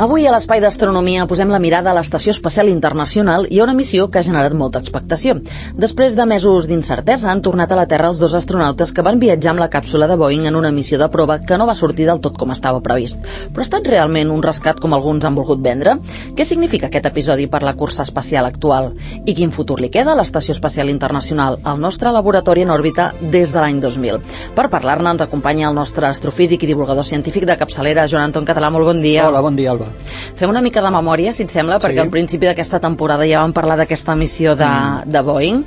Avui a l'Espai d'Astronomia posem la mirada a l'Estació Espacial Internacional i a una missió que ha generat molta expectació. Després de mesos d'incertesa han tornat a la Terra els dos astronautes que van viatjar amb la càpsula de Boeing en una missió de prova que no va sortir del tot com estava previst. Però ha estat realment un rescat com alguns han volgut vendre? Què significa aquest episodi per la cursa espacial actual? I quin futur li queda a l'Estació Espacial Internacional, el nostre laboratori en òrbita des de l'any 2000? Per parlar-ne ens acompanya el nostre astrofísic i divulgador científic de capçalera, Joan Anton Català. Molt bon dia. Hola, bon dia, Alba. Fem una mica de memòria, si et sembla, perquè al principi d'aquesta temporada ja vam parlar d'aquesta missió de Boeing.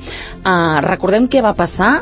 Recordem què va passar.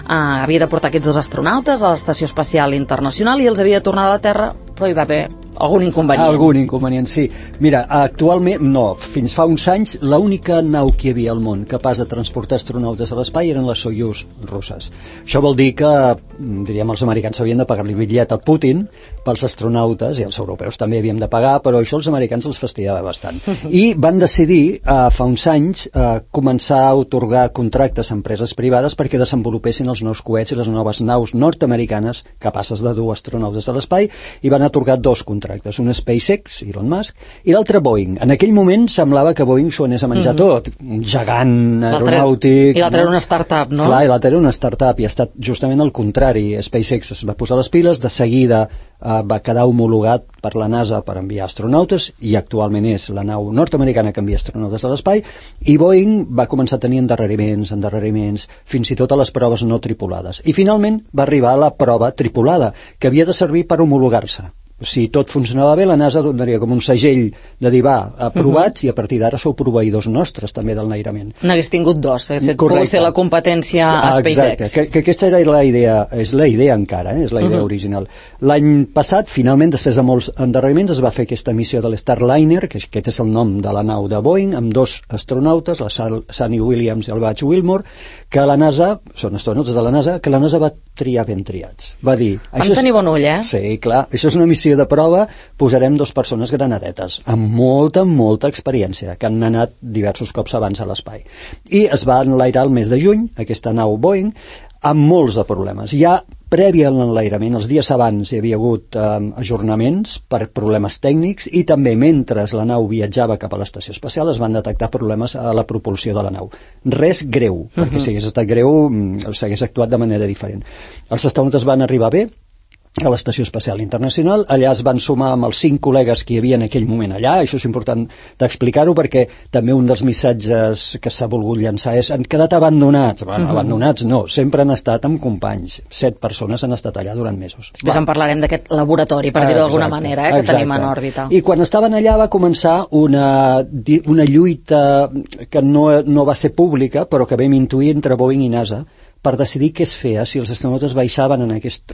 Havia de portar aquests dos astronautes a l'Estació Espacial Internacional i els havia de tornar a la Terra, però hi va haver algun inconvenient. Algun inconvenient, sí. Mira, actualment, no, fins fa uns anys, l'única nau que hi havia al món capaç de transportar astronautes a l'espai eren les Soyuz russes. Això vol dir que, diríem, els americans havien de pagar-li bitllet a Putin pels astronautes, i els europeus també havíem de pagar, però això els americans els fastidiava bastant. I van decidir, fa uns anys, començar a atorgar contractes a empreses privades perquè desenvolupessin els nous coets i les noves naus nord-americanes capaces de dur astronautes a l'espai, i van atorgar dos contractes. Un SpaceX, Elon Musk, i l'altre Boeing. En aquell moment semblava que Boeing s'ho anés a menjar tot. Un gegant aeronàutic... I l'altre era una startup, no? Clar, i l'altre era una startup, i ha estat justament el contrari. SpaceX es va posar les piles, de seguida va quedar homologat per la NASA per enviar astronautes, i actualment és la nau nord-americana que envia astronautes a l'espai, i Boeing va començar a tenir endarreriments, fins i tot a les proves no tripulades. I finalment va arribar a la prova tripulada, que havia de servir per homologar-se. Si tot funcionava bé, la NASA donaria com un segell de dir, va, aprovats, i a partir d'ara sou proveïdors nostres també del nairament. N'hagués tingut dos, pogut fer la competència a SpaceX. Exacte, que aquesta era la idea, és la idea encara, és la idea original. L'any passat, finalment, després de molts endarreriments, es va fer aquesta missió de l'Starliner, que aquest és el nom de la nau de Boeing, amb dos astronautes, la Sunny Williams i el Butch Wilmore, que la NASA, són astronautes de la NASA, que la NASA va triar ben triats. Va dir... Vam tenir bon ull, eh? Sí, clar, això és una missió de prova, posarem dos persones granadetes amb molta experiència, que han anat diversos cops abans a l'espai, i es va enlairar el mes de juny aquesta nau Boeing amb molts de problemes. Ja previ a l'enlairament, els dies abans hi havia hagut ajornaments per problemes tècnics, i també mentre la nau viatjava cap a l'estació espacial es van detectar problemes a la propulsió de la nau. Res greu, perquè si hagués estat greu s'hagués actuat de manera diferent. Els astronautes van arribar bé a l'Estació Espacial Internacional, allà es van sumar amb els 5 col·legues que hi havia en aquell moment allà. Això és important d'explicar-ho, perquè també un dels missatges que s'ha volgut llançar és: han quedat abandonats. Bueno, abandonats no, sempre han estat amb companys. 7 persones han estat allà durant mesos. Després en parlarem d'aquest laboratori, per dir-ho d'alguna manera, que tenim en òrbita. I quan estaven allà va començar una lluita que no va ser pública, però que vam intuir entre Boeing i NASA, per decidir què es feia, si els astronautes baixaven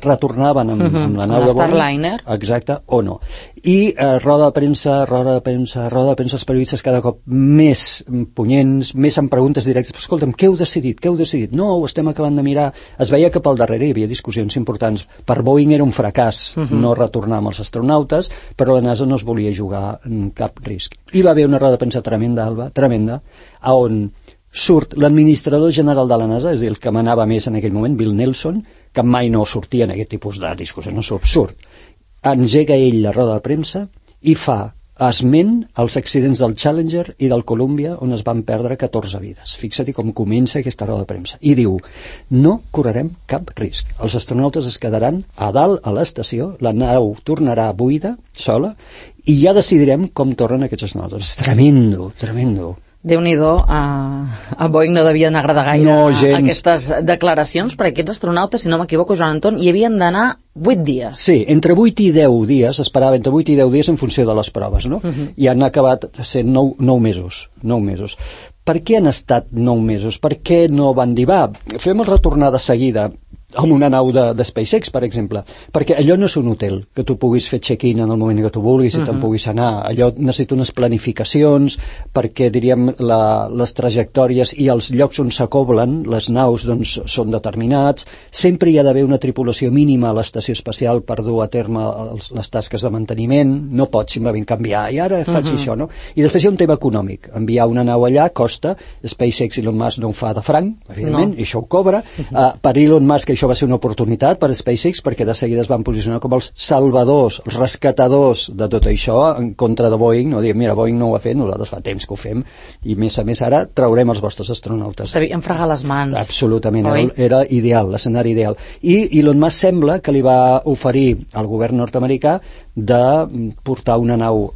retornaven amb la nau de Boeing, exacte, o no. I roda de premsa, els periodistes cada cop més punyents, més amb preguntes directes: però escolta'm, què heu decidit? No, ho estem acabant de mirar. Es veia que pel darrere hi havia discussions importants. Per Boeing era un fracàs no retornar amb els astronautes, però la NASA no es volia jugar cap risc. I va haver una roda de premsa tremenda, Alba, a on surt l'administrador general de la NASA, és a dir, el que manava més en aquell moment, Bill Nelson, que mai no sortia en aquest tipus de discussió, no surt. Engega ell la roda de premsa i fa esment als accidents del Challenger i del Columbia, on es van perdre 14 vides. Fixa't com comença aquesta roda de premsa. I diu: no correrem cap risc. Els astronautes es quedaran a dalt a l'estació, la nau tornarà buida, sola, i ja decidirem com tornen aquests astronautes. Tremendo. Déu-n'hi-do, a Boeing no devien agradar gaire aquestes declaracions, perquè aquests astronautes, si no m'equivoco, Joan Anton, hi havien d'anar 8 dies. Sí, entre 8 i 10 dies, esperava entre 8 i 10 dies en funció de les proves, no? I han acabat sent 9 mesos. Per què han estat 9 mesos? Per què no van dir, va, fem el retornar de seguida amb una nau de SpaceX, per exemple? Perquè allò no és un hotel, que tu puguis fer check-in en el moment que tu vulguis i te'n puguis anar. Allò necessita unes planificacions, perquè, diríem, les trajectòries i els llocs on s'acoblen les naus doncs, són determinats. Sempre hi ha d'haver una tripulació mínima a l'estació espacial per dur a terme les tasques de manteniment. No pots simplement canviar, i ara faig això, no? I després hi ha un tema econòmic. Enviar una nau allà costa. SpaceX i Elon Musk no ho fa de franc, evidentment, i això ho cobra. Per Elon Musk això això va ser una oportunitat per SpaceX, perquè de seguida es van posicionar com els salvadors, els rescatadors de tot això, en contra de Boeing, no dir, mira, Boeing no ho ha fet, nosaltres fa temps que ho fem, i més a més ara traurem els vostres astronautes. Devien fregar les mans. Absolutament, era ideal, l'escenari ideal. I Elon Musk sembla que li va oferir al govern nord-americà de portar una nau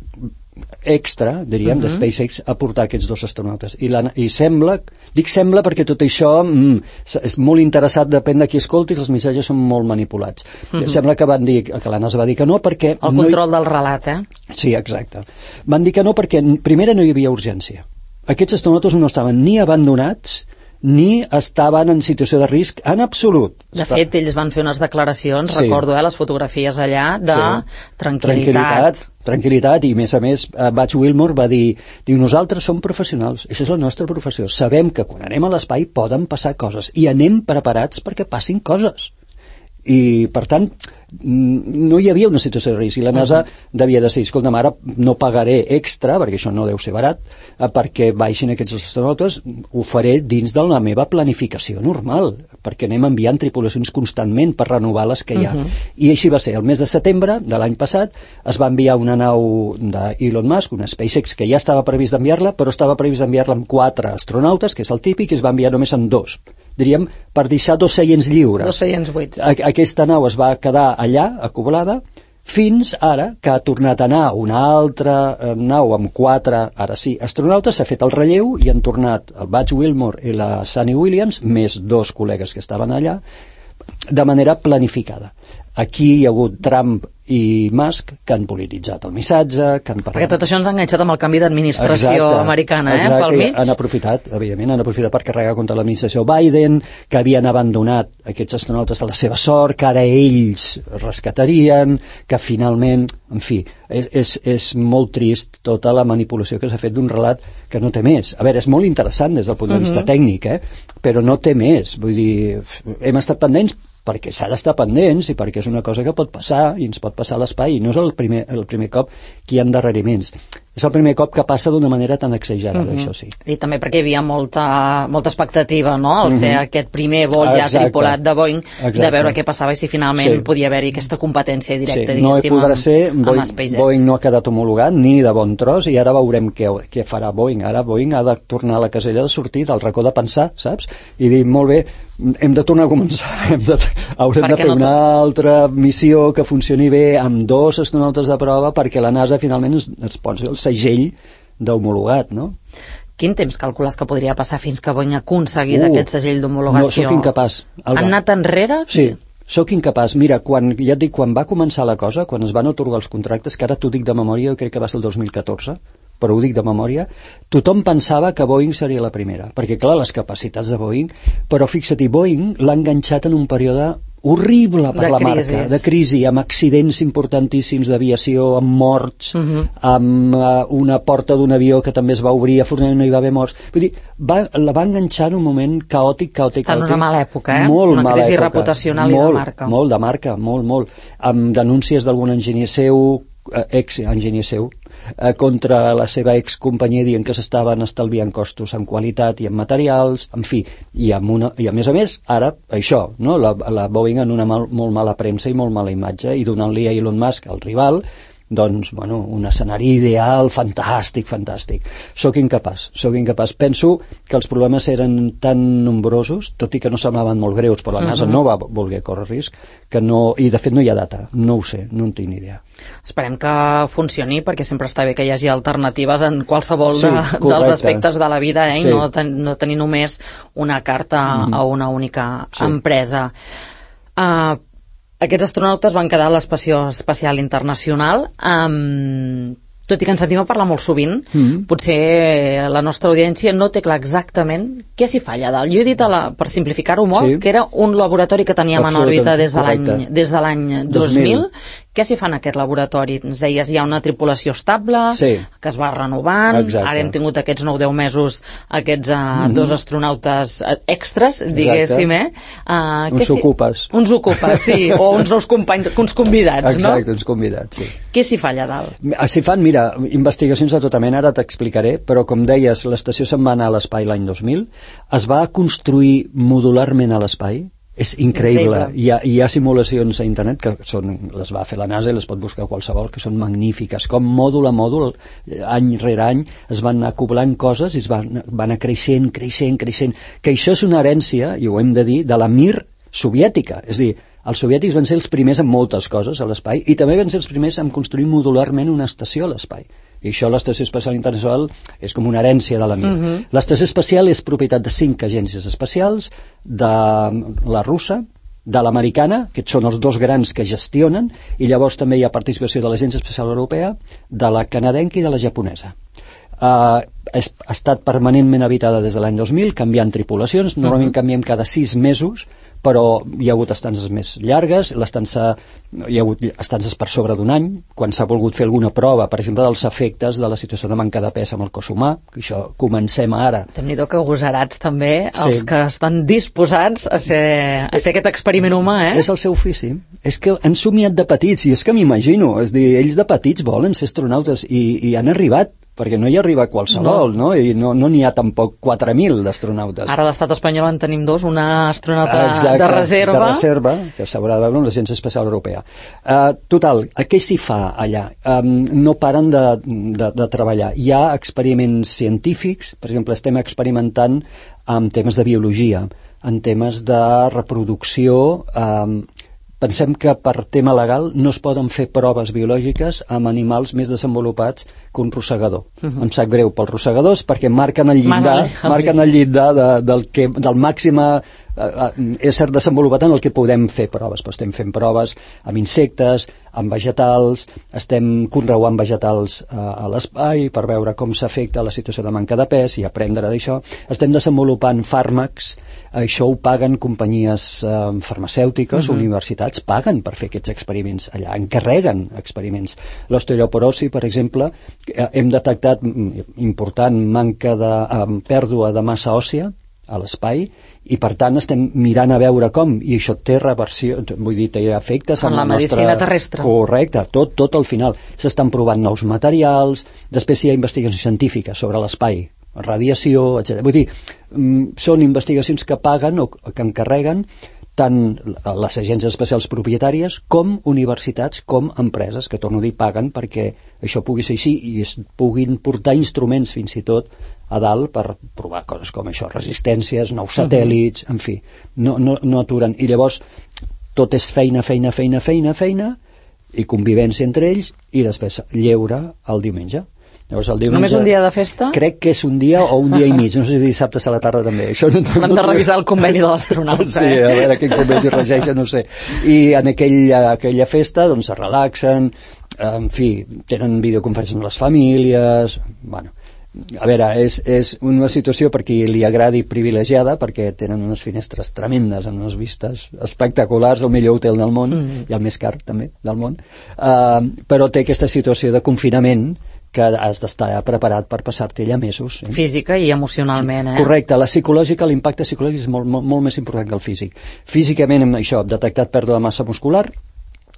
extra, diríem, de SpaceX a portar aquests 2 astronautes. I sembla, dic sembla perquè tot això és molt interessat, depèn de qui escolti, els missatges són molt manipulats. Sembla que van dir, que la NASA va dir que no perquè... El control del relat, Sí, exacte. Van dir que no perquè, primera, no hi havia urgència. Aquests astronautes no estaven ni abandonats ni estaven en situació de risc en absolut. De fet, ells van fer unes declaracions, recordo, les fotografies allà, de tranquil·litat, i a més Buzz Wilmore va dir, nosaltres som professionals, això és la nostra professió, sabem que quan anem a l'espai poden passar coses i anem preparats perquè passin coses. I, per tant, no hi havia una situació de risc, i la NASA devia decidir, escolta'm, ara no pagaré extra, perquè això no deu ser barat, perquè baixin aquests astronautes, ho faré dins de la meva planificació normal, perquè anem enviant tripulacions constantment per renovar les que hi ha. I així va ser. El mes de setembre de l'any passat es va enviar una nau d'Elon Musk, una SpaceX, que ja estava previst d'enviar-la, però estava previst d'enviar-la amb 4 astronautes, que és el típic, i es va enviar només amb 2. Diríem, per deixar 2 seients lliures. 2 seients buits. Aquesta nau es va quedar allà, acoblada, fins ara que ha tornat a anar una altra nau amb 4, ara sí, astronautes, s'ha fet el relleu i han tornat el Buzz Wilmore i la Suni Williams, més 2 col·legues que estaven allà, de manera planificada. Aquí hi ha hagut Trump i Musk que han polititzat el missatge, que han parlat... Perquè tot això ens ha enganxat amb el canvi d'administració americana, pel mig. Han aprofitat, evidentment, per carregar contra l'administració Biden, que havien abandonat aquests astronautes a la seva sort, que ara ells rescatarien, que finalment, en fi, és molt trist tota la manipulació que s'ha fet d'un relat que no té més. A veure, és molt interessant des del punt de vista tècnic, però no té més. Vull dir, hem estat pendents perquè s'ha d'estar pendents i perquè és una cosa que pot passar i ens pot passar a l'espai, i no és el primer cop que hi ha endarreriments. És el primer cop que passa d'una manera tan exagerada, això sí. I també perquè hi havia molta expectativa, no?, al ser aquest primer vol ja tripulat de Boeing, de veure què passava i si finalment podia haver-hi aquesta competència directa, diguéssim, no podrà ser, amb SpaceX. Boeing no ha quedat homologat ni de bon tros, i ara veurem què farà Boeing. Ara Boeing ha de tornar a la casella de sortir, del racó de pensar, saps? I dir, molt bé, hem de tornar a començar, haurem de fer una altra missió que funcioni bé amb 2 astronautes de prova perquè la NASA finalment es posi el segell d'homologat, no? Quin temps calcules que podria passar fins que Boeing aconseguís aquest segell d'homologació? No, sóc incapaç. Han anat enrere? Sí, sóc incapaç. Mira, quan va començar la cosa, quan es van atorgar els contractes, que ara t'ho dic de memòria, jo crec que va ser el 2014, però ho dic de memòria, tothom pensava que Boeing seria la primera, perquè clar, les capacitats de Boeing, però fixa't, Boeing l'ha enganxat en un període horrible per la marca, de crisi, amb accidents importantíssims d'aviació, amb morts, amb una porta d'un avió que també es va obrir, afortunadament no hi va haver morts. Vull dir, la va enganxar en un moment caòtic. Està en una mala època, molt una mala crisi època. reputacional i de marca. Molt de marca, molt. Amb denúncies d'algun enginyer seu, ex-enginyer seu, contra la seva excompanyia, dient que s'estaven estalviant costos en qualitat i en materials, en fi, i a més a més, ara, això, no? la Boeing en una molt mala premsa i molt mala imatge, i donant-li a Elon Musk, el rival, doncs, bueno, un escenari ideal, fantàstic. Soc incapaç. Penso que els problemes eren tan nombrosos, tot i que no semblaven molt greus, però la NASA no va voler córrer risc, que no, i de fet no hi ha data, no ho sé, no en tinc ni idea. Esperem que funcioni, perquè sempre està bé que hi hagi alternatives en qualsevol dels aspectes de la vida, i no tenir només una carta a una única empresa. Aquests astronautes van quedar a l'Estació Espacial Internacional. Tot i que ens sentim a parlar molt sovint, potser la nostra audiència no té clar exactament què s'hi fa allà dalt. Jo he dit, per simplificar-ho molt, que era un laboratori que teníem en òrbita des de l'any 2000. Què s'hi fa en aquest laboratori? Ens deies, hi ha una tripulació estable, que es va renovant, ara hem tingut aquests 9-10 mesos, aquests 2 astronautes extras, diguéssim, Uns ocupes, sí, o uns nous companys, uns convidats, no? Exacte, uns convidats, sí. Què s'hi fa allà dalt? S'hi fan, mira, investigacions de tota mena, ara t'explicaré, però com deies, l'estació se'n va anar a l'espai l'any 2000, es va construir modularment a l'espai, És increïble. Hi ha simulacions a internet que les va fer la NASA i les pot buscar qualsevol, que són magnífiques. Com mòdul a mòdul, any rere any, es van anar acoblant coses i es van anar creixent. Que això és una herència, i ho hem de dir, de la Mir soviètica. És a dir, els soviètics van ser els primers en moltes coses a l'espai i també van ser els primers en construir modularment una estació a l'espai. I això, l'Estació Espacial Internacional, és com una herència de la Mir. L'Estació Espacial és propietat de 5 agències espacials, de la russa, de l'americana, que són els dos grans que gestionen, i llavors també hi ha participació de l'Agència Espacial Europea, de la canadenca i de la japonesa. Ha estat permanentment habitada des de l'any 2000, canviant tripulacions, normalment canviem cada 6 mesos, però hi ha hagut estances més llargues, hi ha hagut estances per sobre d'un any, quan s'ha volgut fer alguna prova, per exemple, dels efectes de la situació de manca de pes amb el cos humà, que això comencem ara. Déu-n'hi-do que gosarats també, els que estan disposats a ser aquest experiment humà, És el seu ofici. És que han somiat de petits, i és que m'imagino, és dir, ells de petits volen ser astronautes i han arribat, perquè no hi arriba qualsevol, no? I no n'hi ha tampoc 4.000 d'astronautes. Ara a l'estat espanyol en tenim 2, una astronauta de reserva, que s'haurà de veure amb l'Agència Espacial Europea. Total, què s'hi fa allà? No paren de treballar. Hi ha experiments científics, per exemple, estem experimentant amb temes de biologia, en temes de reproducció. Pensem que per tema legal no es poden fer proves biològiques amb animals més desenvolupats que un rosegador. Em sap greu pels rosegadors perquè marquen el llindar del màxim ésser desenvolupat en el que podem fer proves. Però estem fent proves amb insectes, amb vegetals, estem conreuant vegetals a l'espai per veure com s'afecta la situació de manca de pes i aprendre d'això. Estem desenvolupant fàrmacs, això ho paguen companyies farmacèutiques, universitats paguen per fer aquests experiments allà, encarreguen experiments. L'osteoporosi, per exemple, hem detectat important pèrdua de massa òssia a l'espai i per tant estem mirant a veure com, i això té reversió, vull dir, té efectes en la medicina terrestre. Correcte, tot al final. S'estan provant nous materials, després hi ha investigacions científiques sobre l'espai, radiació, etc. Vull dir, són investigacions que paguen o que encarreguen tant les agències espacials propietàries com universitats, com empreses, que torno a dir, paguen perquè això pugui ser així i es puguin portar instruments fins i tot a dalt per provar coses com això, resistències, nous satèl·lits, en fi, no aturen. I llavors tot és feina i convivència entre ells i després lleure el diumenge. Llavors, el diumenge, només un dia de festa? Crec que és un dia o un dia i mig, no sé si dissabte a la tarda també. Hem de revisar el conveni de l'astronauta. Sí, a veure quin conveni regeix, no sé. I en aquella festa doncs es relaxen, en fi, tenen videoconferències amb les famílies, bueno, a veure, és una situació per qui li agradi privilegiada, perquè tenen unes finestres tremendes, amb unes vistes espectaculars, el millor hotel del món, i el més car també del món, però té aquesta situació de confinament que has d'estar preparat per passar-te allà mesos. Física i emocionalment, Correcte, l'impacte psicològic és molt més important que el físic. Físicament, amb això, detectat pèrdua de massa muscular,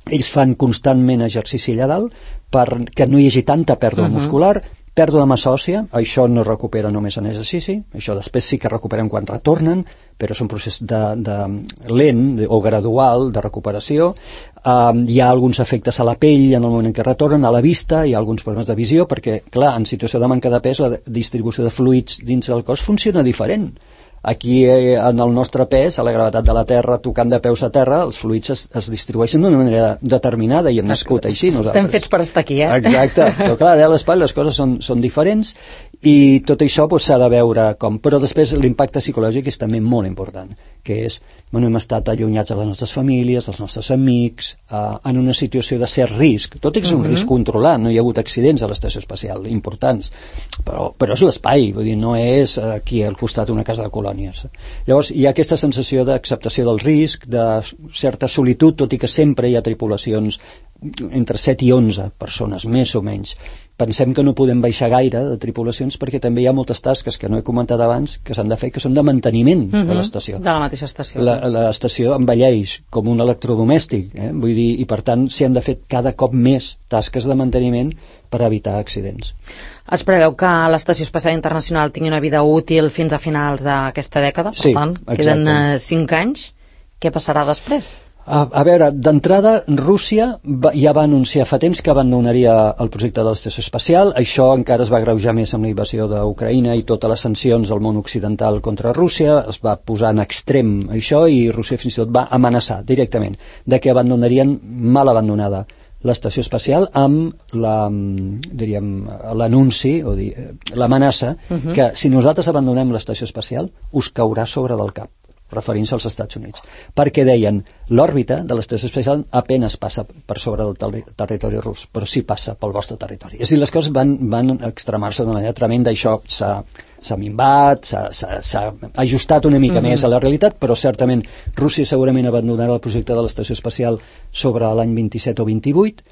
ells fan constantment exercici allà dalt perquè no hi hagi tanta pèrdua muscular, pèrdua de massa òssia, això no es recupera només en exercici, això després sí que recuperen quan retornen, però és un procés lent o gradual de recuperació. Hi ha alguns efectes a la pell en el moment en què retornen, a la vista, hi ha alguns problemes de visió, perquè, clar, en situació de manca de pes, la distribució de fluids dins del cos funciona diferent. Aquí, en el nostre pes, a la gravetat de la Terra, tocant de peus a terra, els fluids es distribueixen d'una manera determinada i hem nascut així nosaltres. Estem fets per estar aquí, Exacte, però clar, a l'espai les coses són diferents i tot això s'ha de veure com. Però després l'impacte psicològic és també molt important, que és, hem estat allunyats de les nostres famílies, dels nostres amics, en una situació de cert risc, tot i que és un risc controlat, no hi ha hagut accidents a l'estació espacial importants, però és l'espai, vull dir, no és aquí al costat d'una casa de colònies. Llavors hi ha aquesta sensació d'acceptació del risc, de certa solitud, tot i que sempre hi ha tripulacions entre 7 i 11 persones, més o menys. Pensem que no podem baixar gaire de tripulacions perquè també hi ha moltes tasques que no he comentat abans que s'han de fer, que són de manteniment de l'estació. De la mateixa estació. L'estació envelleix com un electrodomèstic, vull dir, i per tant s'hi han de fer cada cop més tasques de manteniment per evitar accidents. Es preveu que l'Estació Espacial Internacional tingui una vida útil fins a finals d'aquesta dècada, per tant, queden 5 anys. Què passarà després? A veure, d'entrada, Rússia ja va anunciar fa temps que abandonaria el projecte de l'estació espacial. Això encara es va agreujar més amb la invasió d'Ucraïna i totes les sancions del món occidental contra Rússia. Es va posar en extrem això i Rússia fins i tot va amenaçar directament de que abandonarien mal abandonada l'estació espacial amb l'anunci o l'amenaça que si nosaltres abandonem l'estació espacial us caurà sobre del cap, referint-se als Estats Units, perquè deien l'òrbita de l'estació espacial apenas passa per sobre del territori rus, però sí passa pel vostre territori. És a dir, les coses van extremar-se d'una manera tremenda. Això s'ha minvat, s'ha ajustat una mica més a la realitat, però certament Rússia segurament abandonarà el projecte de l'estació espacial sobre l'any 27 o 28,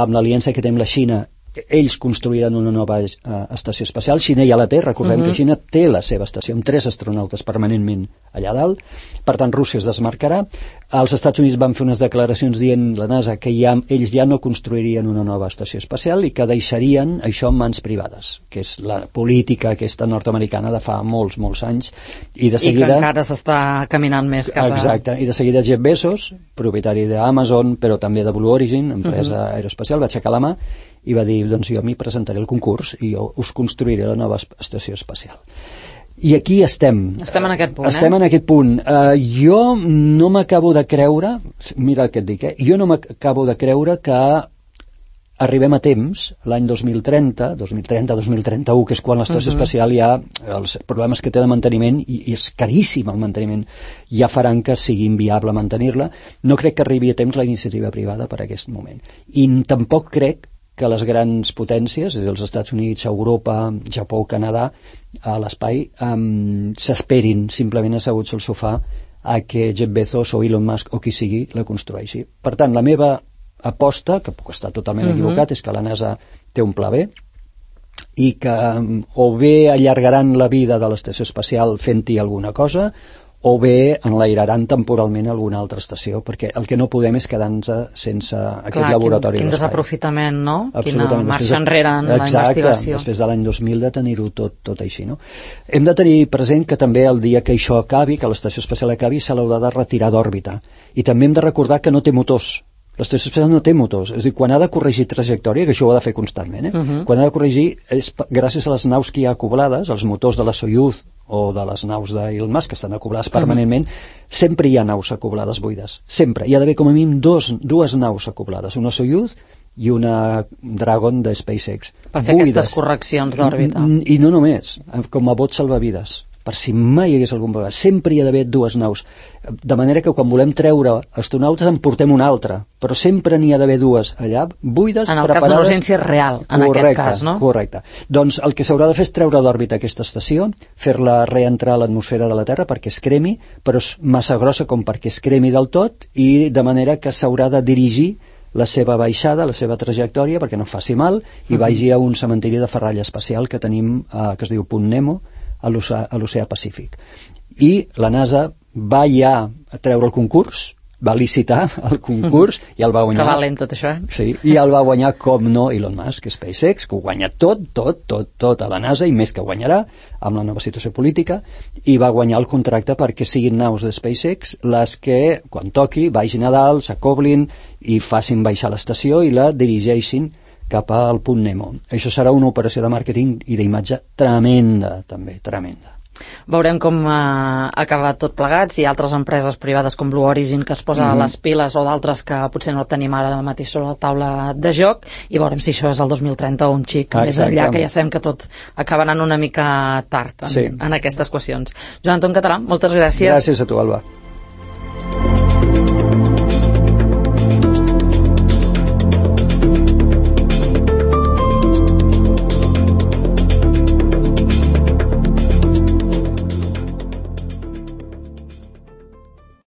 amb l'aliança que té amb la Xina. Ells construiran una nova estació espacial. Xina ja la té, recordem que Xina té la seva estació amb 3 astronautes permanentment allà dalt, per tant Rússia es desmarcarà. Els Estats Units van fer unes declaracions dient, la NASA, que ells ja no construirien una nova estació espacial i que deixarien això en mans privades, que és la política aquesta nord-americana de fa molts anys, i de seguida... I que encara s'està caminant més cap a... Exacte, i de seguida Jeff Bezos, propietari d'Amazon, però també de Blue Origin, empresa aeroespacial, va aixecar la mà i va dir, doncs jo m'hi presentaré al concurs i jo us construiré la nova estació espacial. I aquí estem. Estem en aquest punt, Estem en aquest punt. Jo no m'acabo de creure, mira el que et dic, jo no m'acabo de creure que arribem a temps, l'any 2030-2031, que és quan l'estació espacial ja, els problemes que té de manteniment, i és caríssim el manteniment, ja faran que sigui inviable mantenir-la. No crec que arribi a temps la iniciativa privada per aquest moment. I tampoc crec que les grans potències, és a dir, els Estats Units, Europa, Japó, Canadà, a l'espai, s'esperin simplement asseguts al sofà a que Jeff Bezos o Elon Musk o qui sigui la construeixi. Per tant, la meva aposta, que puc estar totalment equivocat, és que la NASA té un pla B i que o bé allargaran la vida de l'estació espacial fent-hi alguna cosa, o bé enlairaran temporalment alguna altra estació, perquè el que no podem és quedar-nos sense aquest laboratori quin d'espai. desaprofitament, no? Absolutament. Quina marxa enrere en la investigació. Després de l'any 2000 de tenir-ho tot així, no? Hem de tenir present que també el dia que això acabi, que l'estació espacial acabi, se l'haurà de retirar d'òrbita. I també hem de recordar que no té motors. L'estació espacial no té motors, és a dir, quan ha de corregir trajectòria, que això ho ha de fer constantment, quan ha de corregir és gràcies a les naus que hi ha acoblades, els motors de la Soyuz o de les naus d'Elon Musk, que estan acoblades permanentment, sempre hi ha naus acoblades buides, sempre. Hi ha d'haver com a mínim dues naus acoblades, una Soyuz i una Dragon de SpaceX. Per fer aquestes correccions d'òrbita. I no només, com a bot salvavides, per si mai hi hagués algun problema. Sempre hi ha d'haver dues naus. De manera que quan volem treure astronautes en portem una altra, però sempre n'hi ha d'haver dues allà, buides, en el preparades. cas de l'urgència real, en aquest cas, no? Correcte. Doncs el que s'haurà de fer és treure d'òrbita aquesta estació, fer-la reentrar a l'atmosfera de la Terra perquè es cremi, però és massa grossa com perquè es cremi del tot, i de manera que s'haurà de dirigir la seva baixada, la seva trajectòria, perquè no faci mal, i vagi a un cementiri de ferralla espacial que tenim, que es diu Punt Nemo, a l'oceà Pacífic. I la NASA va ja a treure el concurs, va licitar el concurs i el va guanyar. Que valent tot això, Sí, i el va guanyar, com no, Elon Musk, SpaceX, que ho guanya tot a la NASA, i més que guanyarà amb la nova situació política, i va guanyar el contracte perquè siguin naus de SpaceX les que, quan toqui, vagin a dalt, s'acoblin i facin baixar l'estació i la dirigeixin cap al Punt Nemo. Això serà una operació de màrqueting i d'imatge tremenda, també, tremenda. Veurem com acaba tot plegat, si hi ha altres empreses privades com Blue Origin que es posa a les piles o d'altres que potser no tenim ara mateix sobre la taula de joc, i veurem si això és el 2030 o un xic més enllà, que ja sabem que tot acaba anant una mica tard en aquestes qüestions. Joan Anton Català, moltes gràcies. Gràcies a tu, Alba.